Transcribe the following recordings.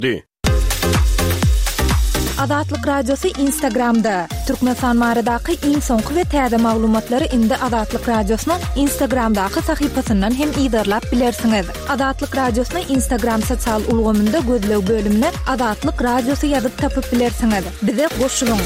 Dy. Azatlyk Radiosy Instagramda, Türkmenistan baradaky iň soňky we täze maglumatlary indi Azatlyk Radiosynyň Instagramdaky sahypasyndan hem yzarlap bilersiňiz. Azatlyk Radiosyny Instagram sosial ulgamynda gözleg bölümine Azatlyk Radiosy ýazyp tapyp bilersiňiz. Bize goşulyň!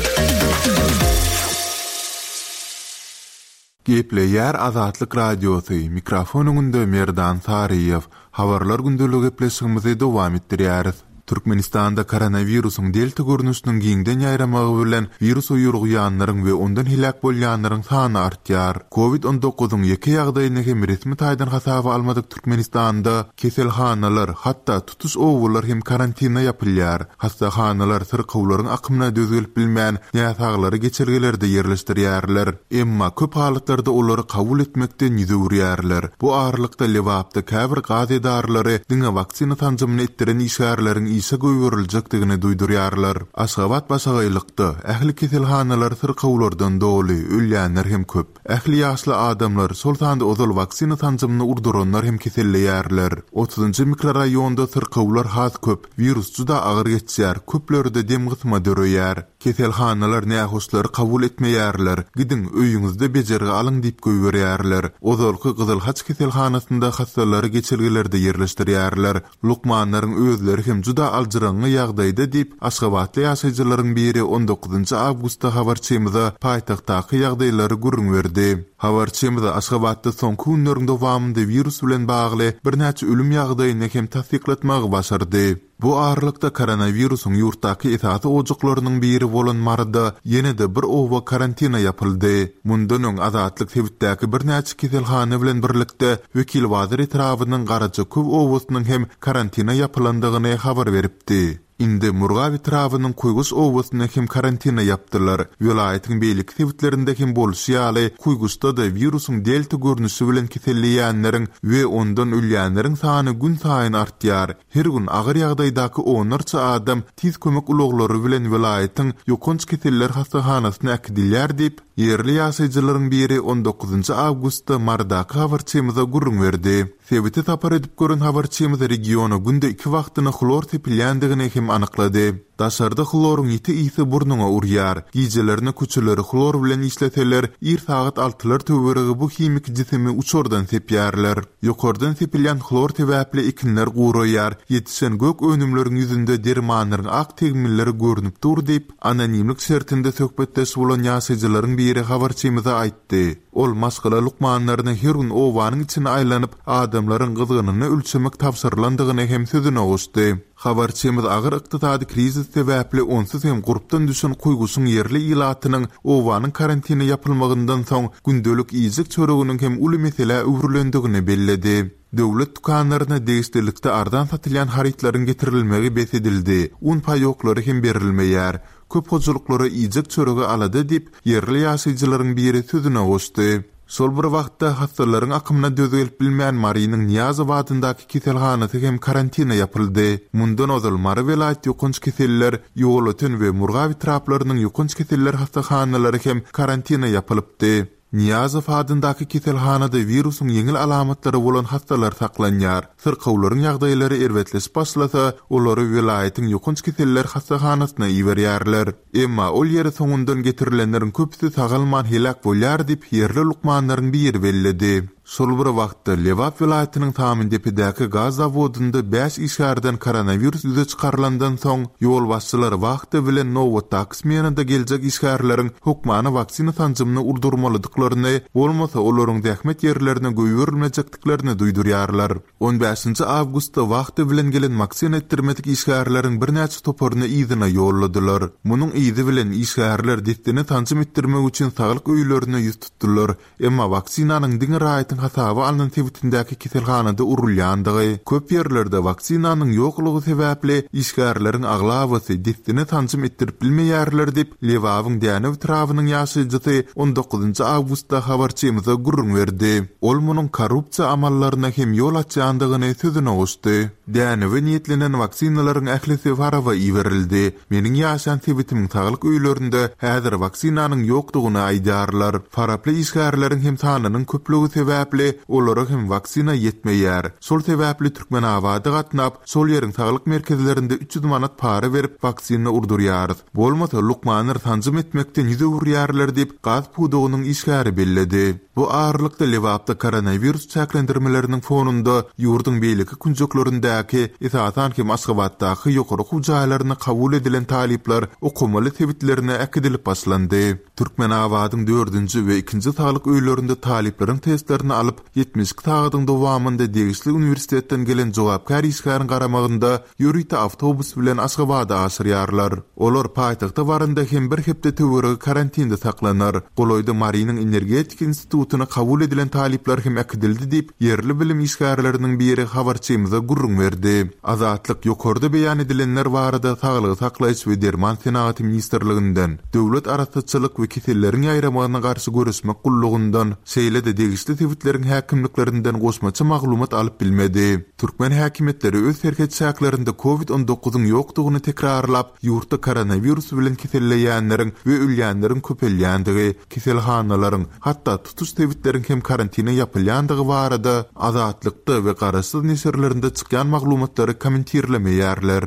Gepleýär Azatlyk Radiosy, mikrofon öňünde Merdan Saryýew. Habarlar gündeligi gepleşigimizi dowam etdirýäris. Türkmenistanda koronawirusyň delta görnüşiniň giňden ýaýramagy bilen wirusa ýolugýanlaryň we ondan heläk bolýanlaryň sany artýar. Covid 19-yň ýeke ýagdaýyny hem resmi taýdan hasaba almadyk Türkmenistanda keselhanalar, hatda tutuş obalar hem karantine ýapylýar. Hassahanalar syrkawlaryň akymyna döz gelip bilmän, näsaglary geçelgelerde ýerleşdirýärler. Emma köp halatlarda olary kabul etmekden ýüz öwürýärler. Bu aralykda Lebapda käbir gaz edaralary diňe waksina sanjymyny etdiren işgärleriň işe goýberiljekdigini duýdurýarlar. Aşgabat başagaýlykda, ähli keselhanalar syrkawlardan doly, ölýänler hem köp. Ähli ýaşly adamlar, şol sanda ozal waksina sanjymyny urduranlar hem keselleýärler. Otuzynjy mikroraýonda syrkawlar has köp, wirus juda agyr geçýär, köplerde dem gysma döreýär. Keselhanalar nähoşlary kabul etmeýärler, gidiň, öýüňizde bejergi alyň diýip goýberýärler. Ozalky Gyzyl Haç keselhanasynda hassalary geçelgelerde ýerleşdirýärler. Lukmanlaryň özleri hem juda aljyraňňy ýagdaýda diýip, aşgabatly ýaşaýjylaryň biri on dokuzynjy awgustda habarçymyza paýtagtdaky ýagdaýlary gürrüň berdi. Habarçymyz Aşgabatda soňky günleriň dowamynda wirus bilen bagly birnäçe ölüm ýagdaýyny hem tassyklatmagy başardy. Bu aralykda koronawirusyň ýurtdaky esasy ojaklarynyň biri bolan Maryda ýene-de bir oba karantina ýapyldy. Mundan öň Azatlyk sebitdäki birnäçe keselhana bilen birlikde Wekilbazar etrabynyň Garajaköw obasynyň hem karantina ýapylandygyny habar beripdi. Indi Murgap etrabynyň Kuýguş obasyny hem karantina ýapdylar. Welaýatyň beýleki sebitlerinde hem bolşy ýaly, Kuýguşda-da wirusyň delta görnüşi bilen keselleýänleriň we ondan ölýänleriň sany günsaýyn artýar. Her gün agyr ýagdaýdaky onlarça adam tiz kömek ulaglary bilen welaýatyň ýokanç keseller hassahanasyna äkidilýär diýip, ýerli ýaşaýjylaryň biri on dokuzynjy awgustda Marydaky habarçymyza gürrüň berdi. Sebite sapar edip gören habarçymyz regiona günde iki wagtyna hlor sepilýändigini hem anyklady. Daşarda hloryň ýiti ysy burnuňa urýar. Gijelerine köçeleri hlor bilen işleseler, ir sagat altylar töweregi bu himiki jisimi uçardan sepýärler. Ýokardan sepilýän hlor sebäpli ekinler guraýar, ýetişen gök önümleriň ýüzünde dermanlaryň ak tegmilleri görnüp dur diýip, anonimlik şertinde söhbetdeş bolan ýaşaýjylaryň biri habarçymyza aýtdy. Ol maşgala lukmanlaryna her gün obanyň içine aýlanyp, adamlaryň gyzgynyny ölçemek tabşyrylandygyny hem sözüne goşdy. Habarçymyz agyr ykdysady krizis sebäpli onsuz hem gurpdan düşen Kuýguşyň ýerli ilatynyň obanyň karantine ýapylmagyndan soň gündelik iýjek çöreginiň hem uly meselä öwrülendigini belledi. Döwlet dükanlaryna degişlilikde arzan satylýan harytlaryň getirilmegi bes edildi, un paýoklary hem berilmeýär. Köp hojalyklara iýjek çöregi alada diýip, ýerli ýaşaýjylaryň biri sözüne goşdy. Şol bir wagtda, hassalaryň akymyna döz gelip bilmän Marynyň Nyýazow adyndaky keselhanasy hem karantina ýapyldy. Mundan ozal Mary welaýat ýokanç keseller, Ýolöten we Murgap etraplarynyň ýokanç keseller hassahanalary hem karantina ýapylypdy. Nyýazow adyndaky keselhanada wirusyň ýeňil alamatlary bolan hassalar saklanýar. Syrkawlaryň ýagdaýlary erbetleşip başlasa, olary welaýatyň ýokanç keseller hassahanasyna iberýärler. Emma ol ýere soňundan getirilenleriň köpüsi sagalman heläk bolýar diýip, ýerli lukmanlaryň biri belledi. Şol bir wagtda, Lebap welaýatynyň Samyndepedäki gaz zawodynda bäş işgärden koronawirus ýüze çykarylandan soň, ýolbaşçylar wahta bilen nobatdaky smenada geljek işgärleriň hökmany waksina sanjymyny urdurmalydyklaryny, bolmasa olaryň zähmet ýerlerine goýberilmejekdiklerini duýdurýarlar. On bäşinji awgustda wahta bilen gelen waksina etdirmedik işgärleriň birnäçe toparyny yzyna ýolladylar. Munuň yzy bilen işgärler dessine sanjym etdirmek üçin saglyk öýlerine ýüz tutdular. Emma waksinanyň diňe raýatyň hasaba alnan sebitindäki keselhanada urulýandygy, köp ýerlerde waksinanyň ýoklugy sebäpli işgärleriň aglabasy dessine sanjym etdirip bilmeýärler diýip, Lebabyň Dänew etrabynyň ýaşaýjysy on dokuzynjy awgustda habarçymyza gürrüň berdi. Ol munuň korrupsiýa amallaryna hem ýol açýandygyny sözüne goşdy. Dänewe niýetlenen waksinalaryň ählisi Faraba iberildi. Meniň ýaşaýan sebitimiň saglyk öýlerinde häzir waksinanyň ýokdugyny aýdýarlar. Faraply işgärleriň hem sanynyň köplügi sebäpli. sebäpli, olara hem waksina ýetmeýär. Şol sebäpli Türkmenabada gatnap, şol ýeriň saglyk merkezlerinde 300 manat para berip, waksina urdurýarys. Bolmasa, lukmanlar sanjym etmekden ýüz öwürýärler diýip, gaz pudagynyň işgäri belledi. Bu aralykda, Lebapda koronawirus çäklendirmeleriniň fonunda ýurduň beýleki künjeklerindäki, esasan hem Aşgabatdaky ýokary okuw jaýlaryna kabul edilen talyplar okamaly sebitlerine äkidilip başlandy. Türkmenabadyň dördünji we ikinji saglyk öýlerinde talyplaryň testlerini alyp, 72 sagadyň dowamynda degişli uniwersitetden gelen jogapkär işgäriň garamagynda ýörite awtobus bilen Aşgabada aşyrýarlar. Olar paýtagta baranda hem bir hepde töweregi karantinde saklanar. Golaýda Marynyň energetika institutyna kabul edilen talyplar hem äkidildi diýip, ýerli bilim işgärleriniň biri habarçymyza gürrüň berdi. Azatlyk ýokarda beýan edilenler barada Saglygy saklaýyş we derman senagaty ministrliginden, Döwlet arassaçylyk we keselleriň ýaýramagyna garşy göreşmek gullugyndan, şeýle-de degişli sebitleriň häkimliklerinden goşmaça maglumat alyp bilmedi. Türkmen häkimiýetleri öz serhet çäklerinde Covid on dokuzyň ýokdugyny tekrarlap, ýurtda koronawirus bilen keselleýänleriň we ölýänleriň köpelýändigi, keselhanalaryň, hatda tutuş sebitleriň hem karantine ýapylýandygy barada Azatlykda we garaşsyz neşirlerinde çykýan maglumatlary kommentirlemeýärler.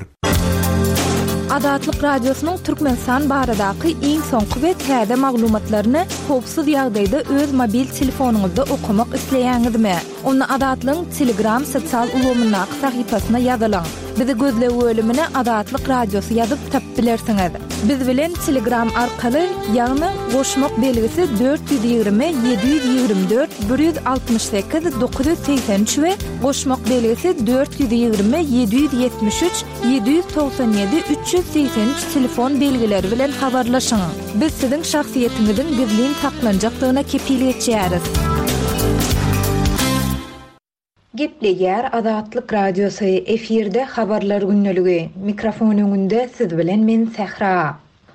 Azatlyk Radiosynyň Türkmenistan baradaky iň soňky we täze maglumatlaryny howpsuz ýagdaýda öz mobil telefonyňyzda okamak isleýäňizmi? Onda Azatlygyň Telegram sosial ulgamyndaky sahypasyna ýazylyň. Bizi gözleg bölümine Azatlyk Radiosy ýazyp tapyp bilersiňiz. Biz bilen Telegram arkaly, ýagny goşmak belgisi 420 724 168 983 we goşmak belgisi 420 773 797 383 telefon belgileri bilen habarlaşyň. Biz siziň şahsyýetiňiziň gizlin saklanjakdygyna kepil geçýäris. Gepleýär Azatlyk Radiosy, efirde Habarlar gündeligi. Mikrofon öňünde siz bilen men Sähra.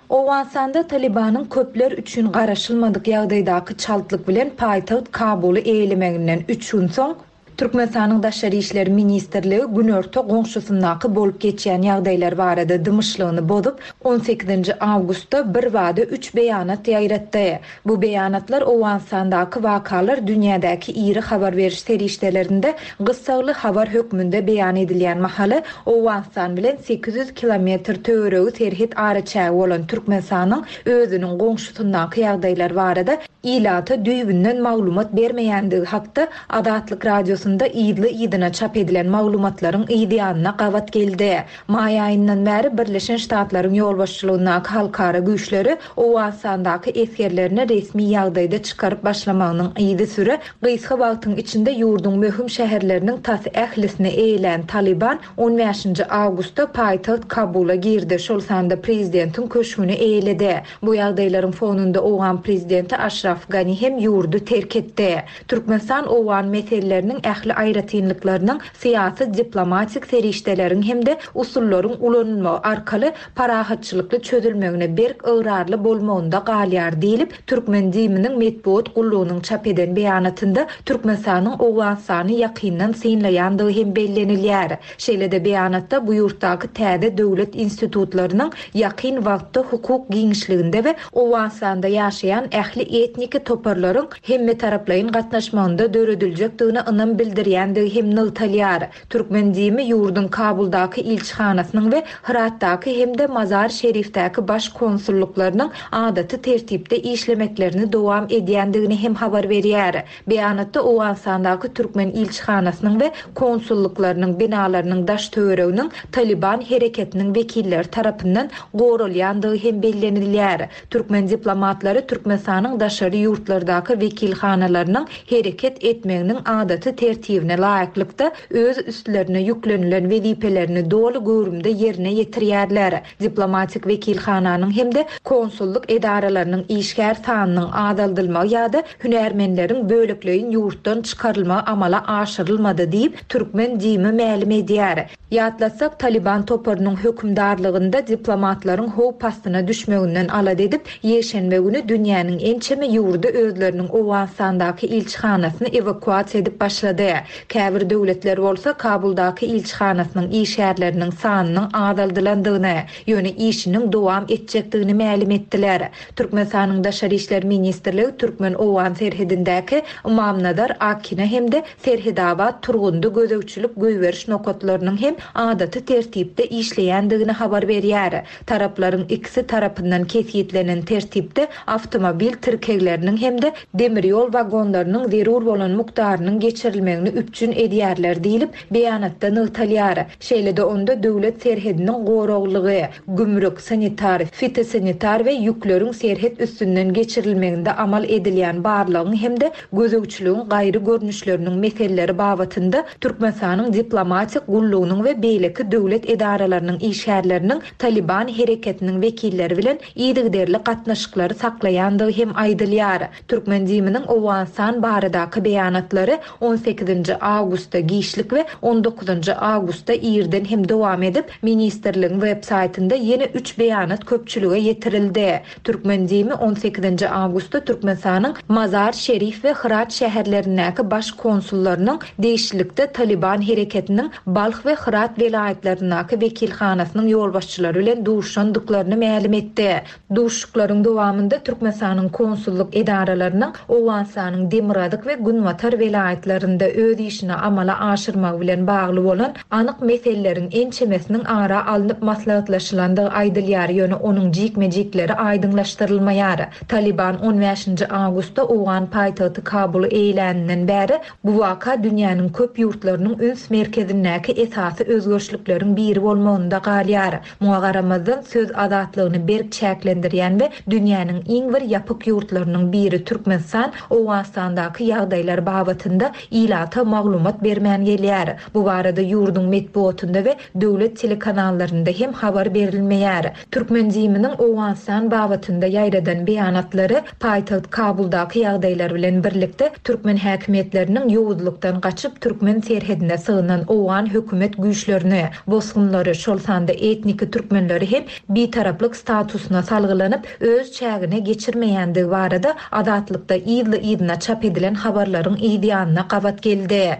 Owganystanda Talybanyň köpler üçin garaşylmadyk ýagdaýdaky çaltlyk bilen paýtagt Kabuly eýelemeginden üç gün soň, Türkmenistanyň Daşary işler ministrligi günorta goňşusyndaky bolup geçýän ýagdaýlar barada dymyşlygyny bozup, on sekizinji awgustda birbada üç beýanat ýaýratdy. Bu beýanatlar Owganystandaky wakalar dünýädäki iri habar beriş serişdelerinde gyssagly habar hökmünde beýan edilýän mahaly, Owganystan bilen 800 kilometr töweregi serhet araçägi bolan Türkmenistanyň özüniň goňşusyndaky ýagdaýlar barada ilata düýbünden maglumat bermeýändigi hakda Azatlyk Radiosynda yzly-yzyna çap edilen maglumatlaryň yzýanyna gabat geldi. Maý aýyndan bäri Birleşen Ştatlaryň ýolbaşçylygyndaky halkara güýçleri Owganystandaky esgerlerini resmi ýagdaýda çykaryp başlamagynyň yzysüre gysga wagtyň içinde ýurduň möhüm şäherleriniň tas ählisini eýelän Talyban on bäşinji awgustda paýtagt Kabula girdi, şol sanda prezidentiň köşgüni eýeledi. Bu ýagdaýlaryň fonunda owgan prezidenti Aşraf Gani hem ýurdy terk etdi. Türkmenistan owgan meseleleriniň ähli aýratynlyklarynyň syýasy-diplomatik serişdeleriň hem-de usullaryň ulanylmagy arkaly parahatçylykly çözülmegine berk ygrarly bolmagynda galýar diýlip, türkmen DIM-niň metbugat gullugynyň çap eden beýanatynda Türkmenistanyň Owganystany ýakyndan synlaýandygy hem bellenilýär. Şeýle-de beýanatda bu ýurtdaky täze döwlet institutlarynyň ýakyn wagtda hukuk giňişliginde we Owganystanda ýaşaýan ähli etniki toparlaryň hemmetaraplaýyn gatnaşmagynda dörediljekdigine ynam bildirýändigi hem nygtalýar. Türkmen DIM-i ýurduň Kabuldaky ilçihanasynyň we Hyratdaky hem-de Mazar-Şerifdäki baş konsullyklarynyň adaty tertipde işlemeklerini dowam edýändigini hem habar berýär. Beýanatda Owganystandaky türkmen ilçihanasynyň we konsullyklarynyň binalarynyň daş-töwereginiň Talyban hereketiniň wekilleri tarapyndan goralýandygy hem bellenilýär. Türkmen diplomatlary Türkmenistanyň daşary ýurtlardaky wekilhanalarynyň hereket etmeginiň adaty tertibine laýyklykda öz üstlerine ýüklenilen wezipelerini doly göwrümde ýerine ýetirýärler. Diplomatik wekilhananyň hem-de konsullyk edaralarynyň işgär sanynyň azaldylmagy ýa-da hünärmenleriň bölekleýin ýurtdan çykarylmagy amala aşyrylmady diýip, türkmen DIM-i mälim edýär. Ýatlatsak, Talyban toparynyň hökümdarlygynda diplomatlaryň howp astyna düşmeginden alada edip, ýekşenbe güni dünýäniň ençeme ýurdy özleriniň Owganystandaky ilçihanasyny ewakuasiýa edip başlady. Käbir döwletler bolsa Kabuldaky ilçihanasynyň işgärleriniň sanynyň azaldylandygyny, ýöne işiniň dowam etjekdigini mälim etdiler. Türkmenistanyň Daşary işler ministrligi türkmen-owgan serhedindäki Ymamnazar, Akina hem-de Serhedabat, Turgundy gözegçilik-goýberiş nokatlarynyň hem adaty tertipde işleýändigini habar berýär. Taraplaryň ikisi tarapyndan kesgitlenen tertipde awtomobil tirkegleriniň hem-de demir ýol wagonlarynyň zerur bolan mukdarynyň geçirilmegini üpjün edýärler diýlip, beýanatda nygtalýar. Şeýle-de onda döwlet serhediniň goraglygy, gümrük, sanitar, fitosanitar we ýükleriň serhet üstünden geçirilmeginde amal edilýän barlagyň hem-de gözegçiligiň gaýry görnüşleriniň meseleleri babatynda Türkmenistanyň diplomatik gullugynyň we beýleki döwlet edaralarynyň işgärleriniň Talyban hereketiniň wekilleri bilen yzygiderli gatnaşyklary saklaýandygy hem aýdylýar. Türkmen DIM-niň Owganystan baradaky beýanatlary on sekizinji awgustda giçlik we on dokuzynjy awgustda irden hem dowam edip, ministrligiň web saýtynda ýene üç beýanat köpçülige ýetirildi. Türkmen DIM-i on sekizinji awgustda Türkmenistanyň Mazar-Şerif we Hyrat şäherlerindäki baş konsullarynyň degişlilikde Talyban hereketiniň Balh we Hyrat welaýatlaryndaky wekilhanasynyň ýolbaşçylary bilen duşuşandyklaryny mälim etdi. Duşuşyklaryň dowamynda Türkmenistanyň konsullyk edaralarynyň Owganystanyň demirgazyk we günbatar welaýatlarynda öz işini amala aşyrmagy bilen bagly bolan anyk meseleleriň ençemesiniň ara alnyp maslahatlaşylandygy aýdylýar, ýöne onuň jikme-jikleri aýdyňlaşdyrylmaýar. Talyban on bäşinji awgustda owgan paýtagty Kabuly eýeläninden bäri bu waka dünýäniň köp ýurtlarynyň üns merkezindäki esasy özgerişlikleriň biri bolmagynda galýar. Muňa garamazdan, söz azatlygyny berk çäklendirýän we dünýäniň iň bir ýapyk ýurtlarynyň biri Türkmenistan Owganystandaky ýagdaýlar babatynda ilata maglumat bermän gelýär. Bu barada ýurduň metbugatynda we döwlet telekanallarynda hem habar berilmeýär. Türkmen DIM-niň Owganystan babatynda ýaýradan beýanatlary paýtagt Kabuldaky ýagdaýlar bilen birlikde türkmen häkimiýetleriniň ýowuzlykdan gaçyp türkmen serhedine sygynan owgan hökümet güýçlerini, bosgunlary, şol sanda etniki türkmenleri hem bitaraplyk statusyna salgylanyp öz çägine geçirmeýändigi barada Azatlykda yzly-yzyna çap edilen habarlaryň yzýanyna gabat geldi.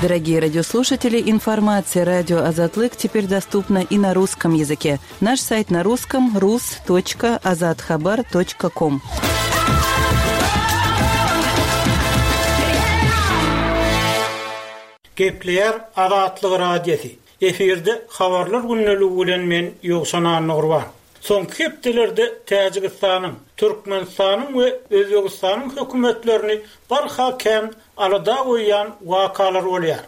Дорогие радиослушатели, информация радио Азатлык теперь доступна и на русском языке. Наш сайт на русском rus.azathabar.com. Gepleýär Azatlyk Radiosy. Efirde Habarlar gündeligi bilen men Ýowşan Annagurban. Soňky hepdelerde Täjigistanyň, Türkmenistanyň we Özbegistanyň hökümetlerini barha kän alada goýýan wakalar bolýar.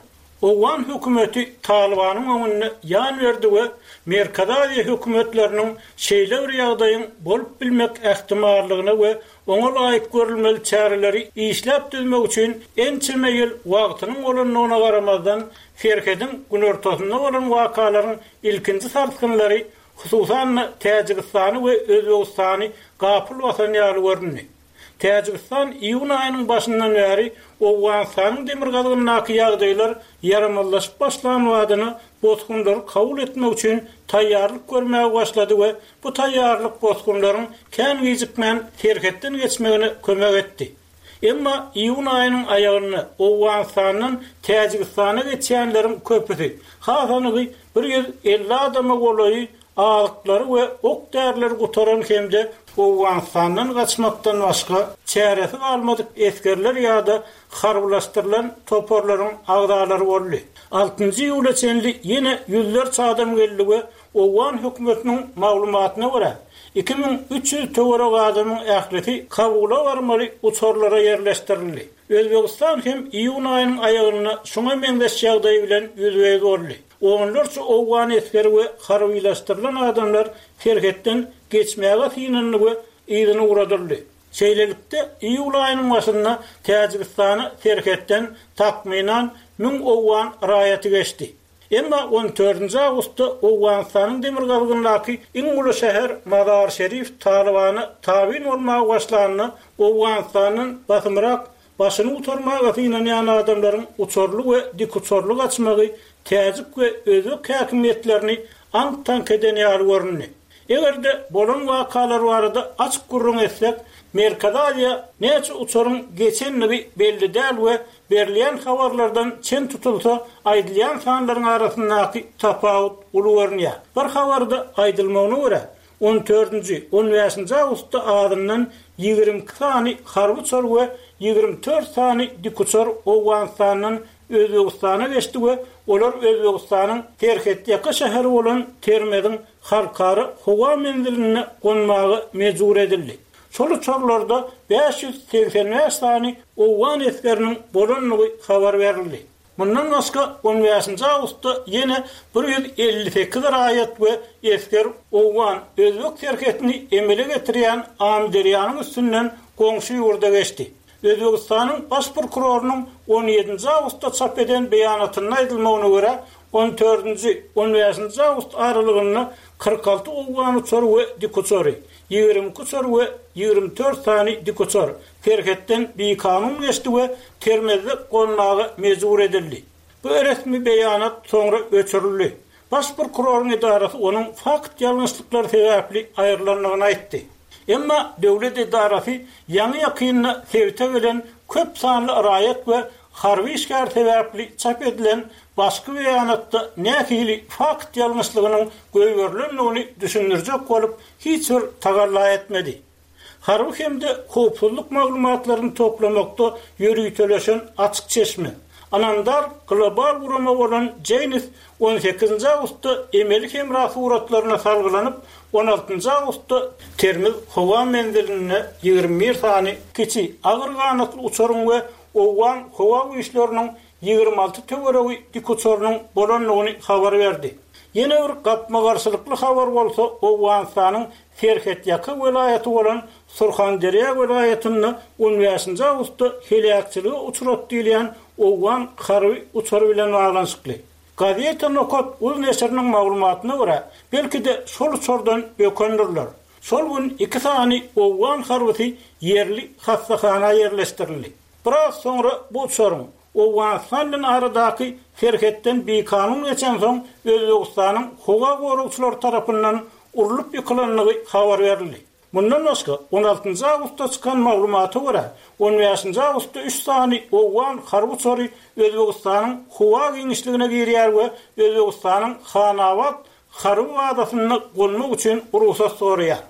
Owgan hökümeti Talybanyň öňünde ýan berdi we Merkezi Aziýa hökümetleriniň şeýle bir ýagdaýyň bolup bilmek ähtimallygyna we oňa laýyk görülmeli çäreleri işläp düzmek üçin ençeme ýyl wagtynyň bolandygyna garamazdan, serhediň günortasynda bolan wakalaryň ilkinji sarsgynlary, hususan-da, Täjigistany we Özbegistany gapyl basan ýaly göründi. Täjigistan iýun aýynyň başyndan bäri Owganystanyň demirgazygyndaky ýagdaýlar ýaramazlaşyp başlan badyna bosgunlary kabul etmek üçin taýýarlyk görmäge başlady we bu taýýarlyk bosgunlaryň kän gijikmän serhetden geçmegine kömek etdi. Emma iýun aýynyň aýagynda Owganystandan Täjigistana geçýänleriň köpüsi, has anygy 150 adama golaýy azyklary we ok-därileri gutaran hem-de Owganystandan gaçmakdan başga çäresi galmadyk esgerler ýa-da harbylaşdyrylan toparlaryň agzalary boldy. Altynjy iýula çenli ýene ýüzlerçe adam geldi we owgan hökümetiniň maglumatyna görä, 2300 töweregi adamyň ählisi Kabula barmaly uçarlara ýerleşdirildi. Özbegistan hem iýun aýynyň aýagynda şuňa meňzeş ýagdaý bilen ýüzbe-ýüz boldy. Onlarça owgan esgeri we harbylaşdyrylan adamlar serhetden geçmäge synandy we yzyna ugradyldy. Şeýlelikde, iýul aýynyň başynda Täjigistana serhetden takmynan müň owgan raýaty geçdi. Emma on dördünji awgustda Owganystanyň demirgazygyndaky iň uly şäher Mazar-Şerif Talybana tabyn bolmaga başlanda, Owganystandan basymrak. Başyny gutarmaga synanýan adamlaryň uçarly we dikuçarly gaçmagy täjik we özbek häkimiýetlerini aňk-taňk eden ýaly göründi. Eger-de bolan wakalar barada açyk gürrüň etsek, Merkezi Aziýa näçe uçaryň geçendigi belli däl we berilýän habarlardan çen tutulsa, aýdylýan sanlaryň arasyndaky tapawut uly görünýär. Bir habarda aýdylmagyna görä, on dördünji, on bäşinji awgustda azyndan 22 sany harby uçar we 24 sany dikuçar Owganystandan Özbegistana geçdi we olar Özbegistanyň serhetýaka şäheri bolan Termeziň halkara howa menzilinde gonmaga mejbur edildi. Şol uçarlarda 585 sany owgan esgeriniň bolandygy habar berildi. Mundan başga, on bäşinji awgustda ýene 158 raýat we esger owgan, özbek serhetini emele getirýän Amyderýanyň üstünden goňşy ýurda geçdi. Özbegistanyň Baş prokurorynyň on ýedinji awgustda çap eden beýanatynda aýdylmagyna görä, on dördünji, on bäşinji awgust aralygynda 46 owgan uçary we dikuçary, 22 uçar we 24 sany dikuçar serhetden bikanun geçdi we Termezde gonmaga mejbur edildi. Bu resmi beýanat soňra öçürildi. Baş prokuroryň edarasy onuň fakt ýalňyşlyklary sebäpli aýrylandygyny aýtdy. Emma döwlet edarasy ýaňy-ýakynda sebite gelen köp sanly raýat we harby işgär sebäpli çap edilen başky beýanatda nähili fakt ýalňyşlygynyň goýberilendigini düşündirjek bolup hiç bir tagalla etmedi. Harby hem-de howpsuzlyk maglumatlaryny toplamakda ýöriteleşen açyk çeşme, ynamdar global gurama bolan Janes on sekizinji awgustda emeli hemra suratlaryna salgylanyp, on altynjy awgustda Termiz howa menzilinde 21 sany kiçi agyr ganatly uçaryň we owgan howa güýçleriniň 26 töweregi dikuçarynyň bolandygyny habar berdi. Ýene bir gapma-garşylykly habar bolsa Owganystanyň serhetýaka welaýaty bolan Surhanderýa welaýatynda on bäşinji awgustda heläkçilige uçrady diýilýän owgan harby uçary bilen baglanyşykly. Gazeta Nokat uz neşiriniň maglumatyna görä, belki-de şol uçardan bökendirler. Şol gün iki sany owgan harbysy ýerli hassahana ýerleşdirildi. Biraz soňra bu uçaryň Owganystan bilen aradaky serhetden bikanun geçensoň Özbegistanyň howa goragçylary tarapyndan urlup ýykylandygy habar berildi. Mundan başga, on altynjy awgustda çykan maglumata görä, on bäşinji awgustda üç sany owgan harby uçary Özbegistanyň howa giňişligine girýär we Özbegistanyň Hanabat harby bazasynda gonmak üçin rugsat soraýar.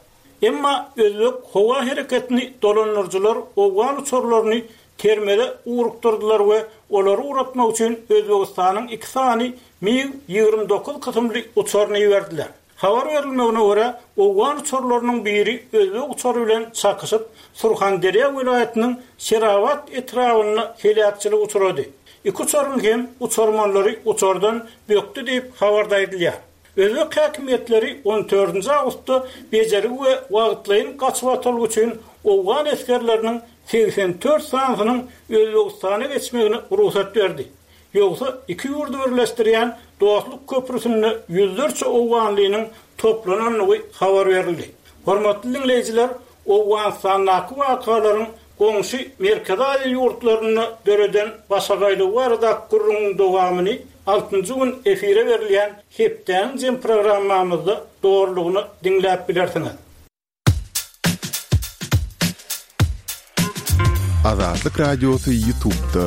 Emma özbek howa hereketini dolandyryjylar owgan uçarlaryny Termeze ugrukdyrdylar we olary ugratmak üçin Özbegistanyň iki sany MiG 29 kysymly uçaryny iberdiler. Habar berilmegine görä, owgan uçarlarynyň biri özbek uçary bilen çakyşyp, Surhanderýa welaýatynyň Şerabat etrabynda heläkçilige uçrady. Iki uçaryň hem uçarmanlary uçardan bökdi diýip, habarda aýdylýar. Özbek häkimiýetleri on dördünji awgustda bejergi we wagtlaýyn gaçybatalga üçin owgan esgerleriniň 84 sanysynyň Özbegistana geçmegine rugsat berdi. Ýogsa iki ýurdy birleşdirýän Dostluk köprüsinde ýüzlerçe owganlynyň toplanandygy habar berildi. Hormatly diňleýjiler, Owganystandaky wakalaryň goňşy Merkezi Aziýa ýurtlarynda döreden başagaýlygy baradaky gürrüňiň dowamyny altynjy gün efire berilýän Hepdäniň jem programmamyzda dolulygyna diňläp bilersiňiz. Azatlyk Radiosy YouTube'da.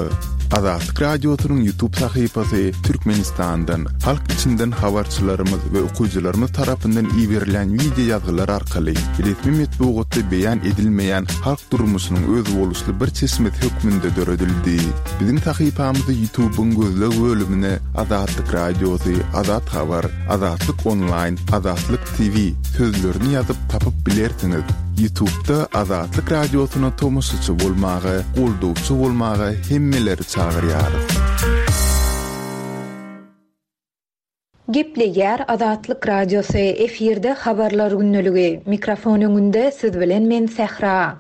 Azatlyk Radiosynyň YouTube sahypasy Türkmenistandan, halk içinden habarçylarymyz we okyjylarymyz tarapyndan iberilen wideo ýazgylar arkaly resmi metbugatda beýan edilmeýän halk durmuşynyň özboluşly bir çeşmesi hökmünde döredildi. Biziň sahypamyzy YouTube-yň gözleg bölümine Azatlyk Radiosy, Azat Habar, Azatlyk Onlaýn, Azatlyk TV sözlerini ýazyp tapyp bilersiňiz. Ýutubda Azatlyk Radiosyna tomaşaçy bolmaga, goldawçy bolmaga hemmeleri çagyrýarys. Gepleýär Azatlyk Radiosy, efirde Habarlar gündeligi. Mikrofon öňünde siz bilen men Sähra.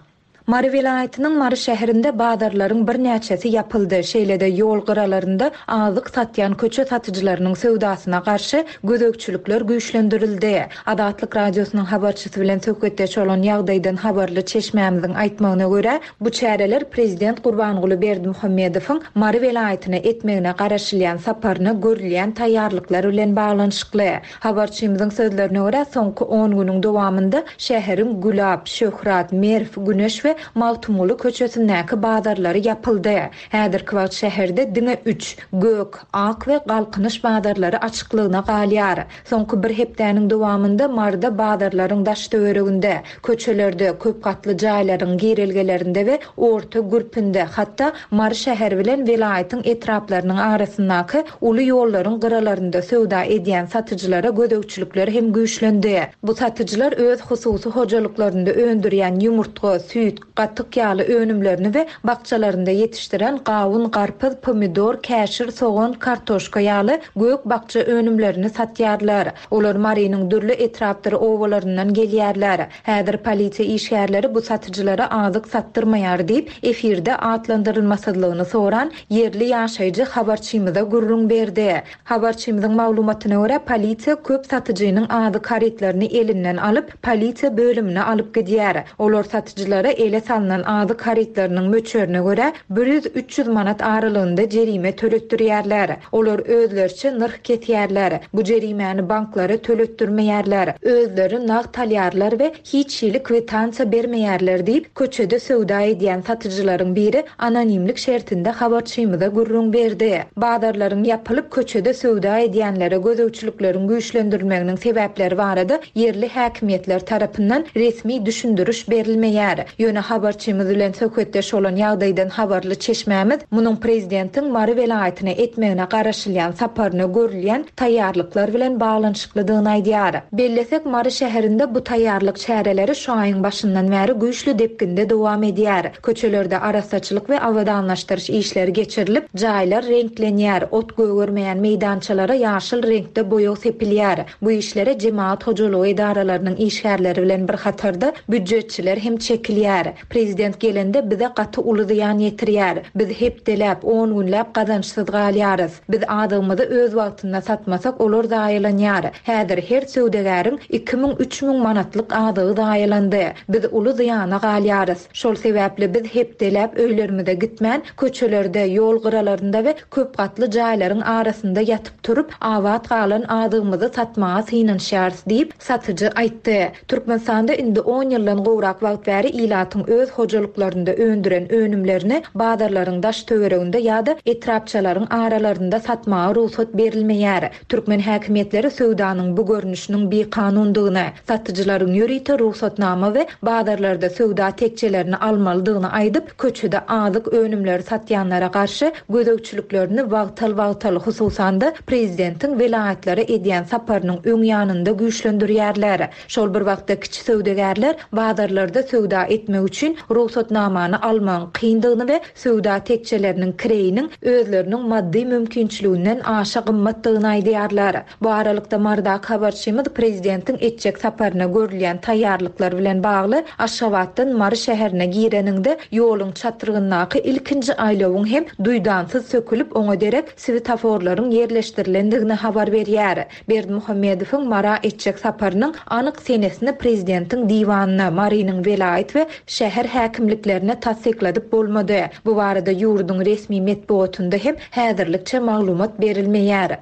Mary welaýatynyň Mary şäherinde bazarlaryň birnäçesi ýapyldy, şeýle-de ýol gyralarynda azyk satýan köçe satyjylarynyň söwdasyna garşy gözegçilikler güýçlendirildi. Azatlyk Radiosynyň habarçysy bilen söhbetdeş bolan ýagdaýdan habarly çeşmämiziň aýtmagyna görä, bu çäreler prezident Gurbanguly Berdimuhamedowyň Mary welaýatyna etmegine garaşylýan saparyna görülýän taýýarlyklar bilen baglanyşykly. Habarçymyzyň sözlerine görä, soňky on günüň dowamynda şäheriň Gülap, Şöhrat, Merw, Güneş we Magtymguly köçesindäki bazarlary ýapyldy. Häzirki wagt şäherde diňe üç, Gök, Ak we Galkynyş bazarlary açyklygyna galýar. Soňky bir hepdäniň dowamynda Maryda bazarlaryň daş-töwereginde, köçelerde, köp gatly jaýlaryň girelgelerinde we orta gürpünde, hatda Mary şäheri bilen welaýatyň etraplarynyň arasyndaky uly ýollaryň gyralarynda söwda edýän satyjylara gözegçilikler hem güýçlendi. Bu satyjylar öz hususy hojalyklarynda öndürýän ýumurtga, süýt, gatyk ýaly önümlerini we bakjalarynda ýetişdiren gawun, garpyz, pomidor, käşir, sogan, kartoşka ýaly gök-bakja önümlerini satýarlar. Olar Marynyň dürli etrapdyr obalaryndan gelýärler. Häzir polisiýa işgärleri bu satyjylara azyk satdyrmaýar diýip, efirde atlandyrylmasyzlygyny soran ýerli ýaşaýjy habarçymyza gürrüň berdi. Habarçymyzyň maglumatyna görä, polisiýa köp satyjynyň azyk harytlaryny elinden alyp, polisiýa bölümine alyp gidýär. Olar satyjylara ele salnan azyk harytlarynyň möçberine görä, bir ýüz-üç ýüz manat aralygynda jerime töletdirýärler. Olar özleriçe nyrh kesýärler. Bu jerimäni banklara töletdirmeýärler. Özleri nagt alýarlar we hiç hili kwitansiýa bermeýärler diýip, köçede söwda edýän satyjylaryň biri anonimlik şertinde habarçymyza gürrüň berdi. Bazarlaryň ýapylyp, köçede söwda edýänlere gözegçilikleriň güýçlendirilmeginiň sebäpleri barada ýerli häkimiýetler tarapyndan resmi düşündiriş berilmeýär. Ýöne habarçymyz bilen söhbetdeş bolan ýagdaýdan habarly çeşmämiz munuň prezidentiň Mary welaýatyna etmegine garaşylýan saparyna görülýän taýýarlyklar bilen baglanyşyklydygyny aýdýar. Bellesek, Mary şäherinde bu taýýarlyk çäreleri şu aýyň başyndan bäri güýçli depginde dowam edýär. Köçelerde arassaçylyk we abadanlaşdyryş işleri geçirilip, jaýlar reňklenýär, ot gögermeýän meýdançalara ýaşyl reňkde boýag sepilýär. Bu işlere jemagat hojalygy edaralarynyň işgärleri bilen bir hatarda býujetçiler hem çekilýär. Prezident gelende bize gaty uly zyýan ýetirýär. Biz hepdeläp, on günläp gazançsyz galýarys. Biz azygymyzy öz wagtynda satmasak olar zaýalanýar. Häzir her söwdagäriň 2000, 3000 manatlyk azygy zaýalandy. Biz uly zyýana galýarys. Şol sebäpli biz hepdeläp öýlerimize gitmän, köçelerde, ýol gyralarynda we köp gatly jaýlaryň arasynda ýatyp-turup, abat galan azygymyzy satmaga synanyşýarys diýip, satyjy aýtdy. Türkmenistanda indi on ýyldan gowrak wagt bäri ilatyň öz hojalyklarynda öndüren önümlerini bazarlaryň daş-töwereginde ýa-da etrapçalaryň aralarynda satmaga rugsat berilmeýär. Türkmen häkimiýetleri söwdanyň bu görnüşiniň bikanundygyny, satyjylaryň ýörite rugsatnama we bazarlarda söwda tekjelerini almalydygyny aýdyp, köçede azyk önümleri satýanlara garşy gözegçiliklerini wagtal-wagtal, hususan-da, prezidentiň welaýatlara edýän saparynyň öň ýanynda güýçlendirýärler. Şol bir wagtda kiçi söwdagärler bazarlarda söwda etmek üçin rugsatnamany almagyň kyndygyny we söwda tekjeleriniň kireýiniň özleriniň maddy mümkinçiliginden aşa gymmatdygyny aýdýarlar. Bu aralykda, Marydaky habarçymyz prezidentiň etjek saparyna görülýän taýýarlyklar bilen bagly Aşgabatdan Mary şäherine gireniňde ýoluň çatrygyndaky ilkinji aýlawyň hem duýdansyz sökülip, oňa derek swetaforlaryň ýerleşdirilendigini habar berýär. Berdimuhamedowyň Mara etjek saparynyň anyk senesini prezidentiň diwanyna, Marynyň welaýat we şäher häkimliklerine tassykladyp bolmady. Bu barada ýurduň resmi metbugatynda hem häzirlikçe maglumat berilmeýär.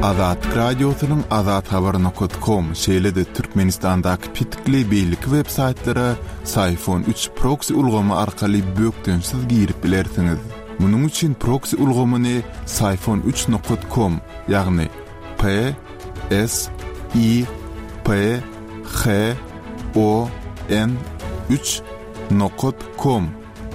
Azatlyk Radiosynyň Azathabar nokat kom, şeýle-de Türkmenistandaky petikli beýleki web saýtlara Syfon üç proksi ulgamy arkaly bökdençsiz girip bilersiňiz. Munuň üçin proksi ulgamyny Syfon üç nokat kom, ýagny P S I P H O N üç nokat kom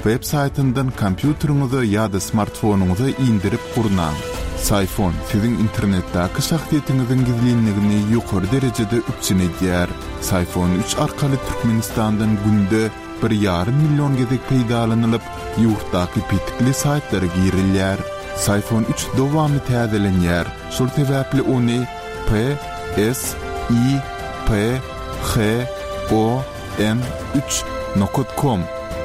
Web saýtyndan kompýuteriňize ýa-da smartfonyňyza indirip gurnaň. Syfon siziň internetdäki şahsyýetiňiziň gizlinligini ýokary derejede üpjün edýär. Syfon üç arkaly Türkmenistandan günde bir ýarym million gezek peýdalanylyp, ýurtdaky petikli saýtlara girilýär. Syfon üç dowamly täzelenýär, şol sebäpli ony P S I P H O N üç. Nokat kom,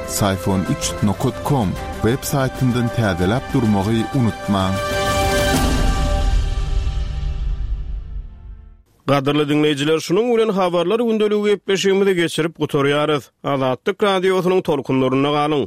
Syfon üç nokat kom web saýtyndan täzeläp durmagy unutmaň. Gadyrly diňleýjiler, şunuň bilen Habarlar gündeligi gepleşigimizi geçirip gutarýarys. Azatlyk Radiosynyň tolkunlarynda galyň!